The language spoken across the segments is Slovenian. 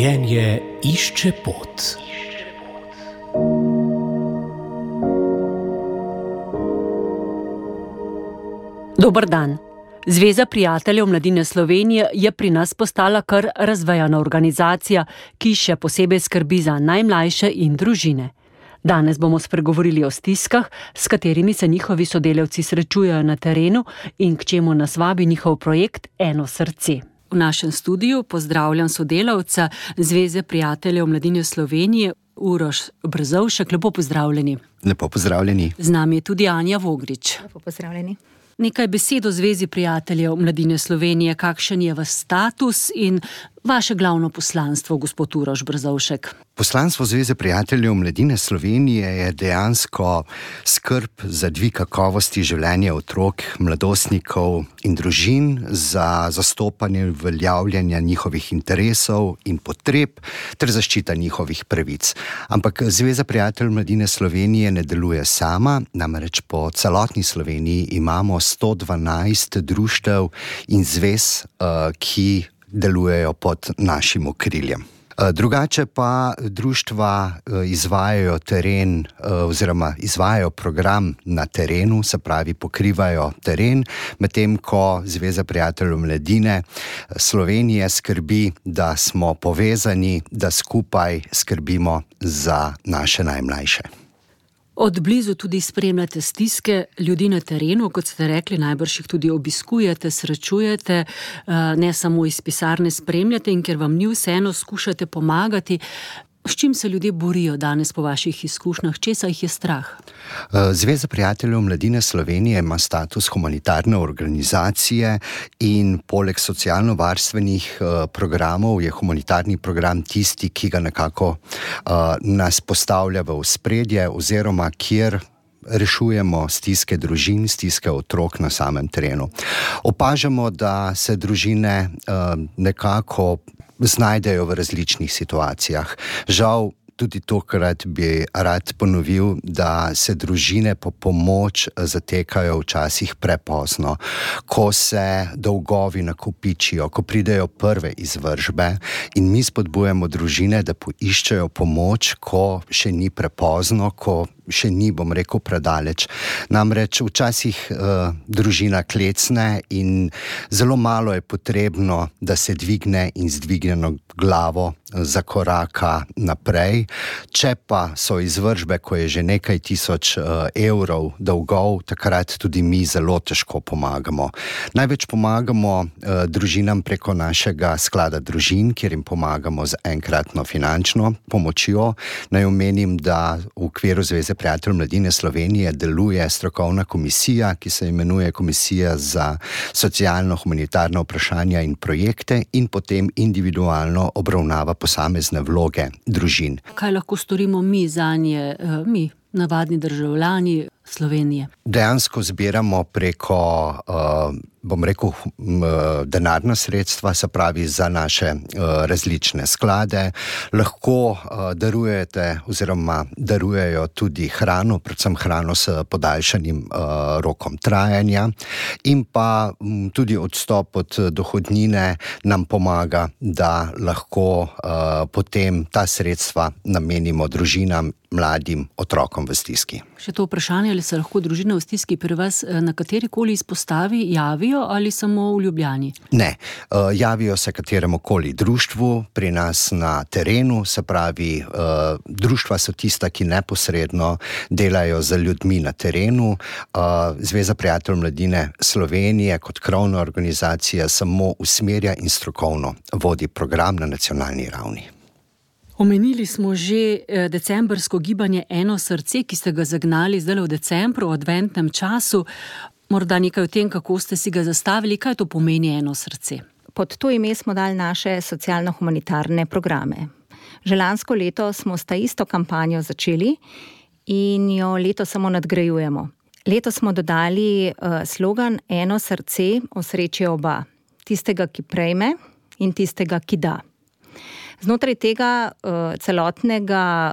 Življenje išče pot. Dober dan. Zveza prijateljev mladine Slovenije je pri nas postala kar razvejana organizacija, ki še posebej skrbi za najmlajše in družine. Danes bomo spregovorili o stiskah, s katerimi se njihovi sodelavci srečujejo na terenu in k čemu nas vabi njihov projekt Eno srce. V našem studiu pozdravljam sodelavca Zveze prijateljev mladine Slovenije, Uroš Brzovšek. Lepo pozdravljeni. Lepo pozdravljeni. Z nami je tudi Anja Vogrič. Lepo pozdravljeni. Nekaj besed o Zvezi prijateljev mladine Slovenije, kakšen je vaš status in vaše glavno poslanstvo, gospod Uroš Brzovšek. Poslanstvo Zveze prijateljev mladine Slovenije je dejansko skrb za dvig kakovosti življenja otrok, mladostnikov in družin, za zastopanje uveljavljanja njihovih interesov in potreb ter zaščita njihovih pravic. Ampak Zveza prijateljev mladine Slovenije ne deluje sama, namreč po celotni Sloveniji imamo 112 društev in zvez, ki delujejo pod našim okriljem. Drugače pa društva izvajajo izvajajo program na terenu, se pravi pokrivajo teren, medtem ko Zveza prijateljev mladine Slovenije skrbi, da smo povezani, da skupaj skrbimo za naše najmlajše. Od blizu tudi spremljate stiske ljudi na terenu, kot ste rekli, najbrž jih tudi obiskujete, srečujete, ne samo iz pisarne spremljate in ker vam ni vseeno, skušate pomagati. S čim se ljudje borijo danes po vaših izkušnjah? Česa jih je strah? Zveza prijateljev mladine Slovenije ima status humanitarne organizacije in poleg socialno-varstvenih programov je humanitarni program tisti, ki ga nekako nas postavlja v ospredje oziroma kjer rešujemo stiske družin, stiske otrok na samem terenu. Opažamo, da se družine nekako znajdejo v različnih situacijah. Žal, tudi tokrat bi rad ponovil, da se družine po pomoč zatekajo včasih prepozno, ko se dolgovi nakopičijo, ko pridejo prve izvržbe in mi spodbujamo družine, da poiščejo pomoč, ko še ni prepozno, ko še ni, predaleč. Namreč včasih družina klecne in zelo malo je potrebno, da se dvigne in z dvignjeno glavo zakoraka naprej. Če pa so izvržbe, ko je že nekaj tisoč evrov dolgov, takrat tudi mi zelo težko pomagamo. Največ pomagamo družinam preko našega sklada družin, kjer jim pomagamo z enkratno finančno pomočjo. Naj omenim, da v okviru Zveze prijateljev mladine Slovenije deluje strokovna komisija, ki se imenuje Komisija za socialno-humanitarna vprašanja in projekte in potem individualno obravnava posamezne vloge družin. Kaj lahko storimo mi zanje, mi, navadni državljani Slovenije? Dejansko zbiramo preko, denarna sredstva, se pravi za naše različne sklade. Lahko darujete oziroma darujejo tudi hrano, predvsem hrano s podaljšanim rokom trajanja in pa tudi odstop od dohodnine nam pomaga, da lahko potem ta sredstva namenimo družinam, mladim otrokom v stiski. Še to vprašanje, ali se lahko družine v stiski pri vas na katerikoli izpostavi javijo ali samo v Ljubljani? Ne, javijo se kateremukoli društvu pri nas na terenu, se pravi, društva so tista, ki neposredno delajo z ljudmi na terenu. Zveza prijateljev mladine Slovenije kot krovna organizacija samo usmerja in strokovno vodi program na nacionalni ravni. Omenili smo že decembrsko gibanje Eno srce, ki ste ga zagnali zdaj v decembru, v adventnem času. Morda nekaj o tem, kako ste si ga zastavili, kaj to pomeni Eno srce? Pod to ime smo dali naše socialno-humanitarne programe. Že lansko leto smo s ta isto kampanjo začeli in jo letos samo nadgrajujemo. Letos smo dodali slogan Eno srce, osrečijo oba. Tistega, ki prejme in tistega, ki da. Znotraj tega celotnega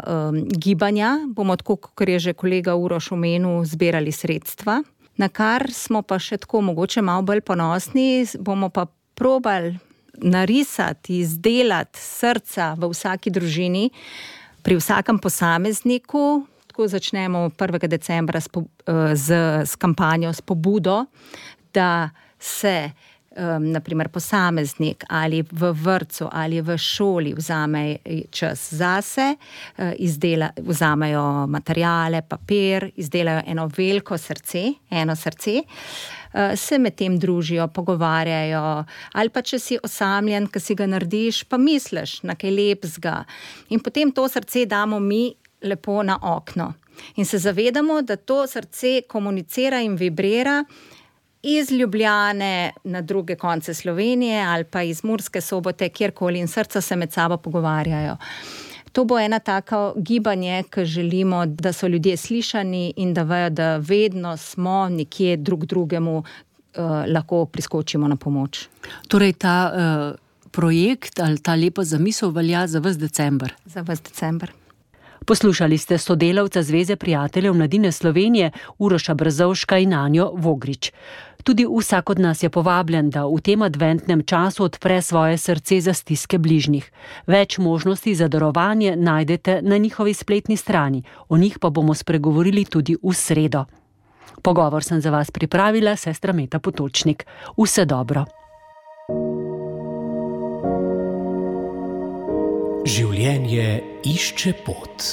gibanja bomo, tako kot je že kolega Uroš omenil, zbirali sredstva, na kar smo pa še tako mogoče malo bolj ponosni, bomo pa probali narisati, izdelati srca v vsaki družini, pri vsakem posamezniku. Tako začnemo 1. decembra s kampanjo, s pobudo, da se naprimer posameznik ali v vrtcu ali v šoli vzame čas zase, vzamejo materiale, papir, izdelajo eno veliko srce, se med tem družijo, pogovarjajo, ali pa če si osamljen, ki si ga narediš, pa misliš na kaj lepega. In potem to srce damo mi lepo na okno. In se zavedamo, da to srce komunicira in vibrira iz Ljubljane na druge konce Slovenije ali pa iz Murske Sobote, kjerkoli, in srca se med sabo pogovarjajo. To bo ena tako gibanje, ki želimo, da so ljudje slišani in da vejo, da vedno smo nekje drug drugemu lahko priskočimo na pomoč. Torej ta projekt ali ta lepa zamisel velja za ves december? Za ves december. Poslušali ste sodelavca Zveze prijateljev mladine Slovenije Uroša Brzovška in Anjo Vogrič. Tudi vsak od nas je povabljen, da v tem adventnem času odpre svoje srce za stiske bližnjih. Več možnosti za darovanje najdete na njihovi spletni strani, o njih pa bomo spregovorili tudi v sredo. Pogovor sem za vas pripravila sestra Meta Potočnik. Vse dobro. Življenje išče pot.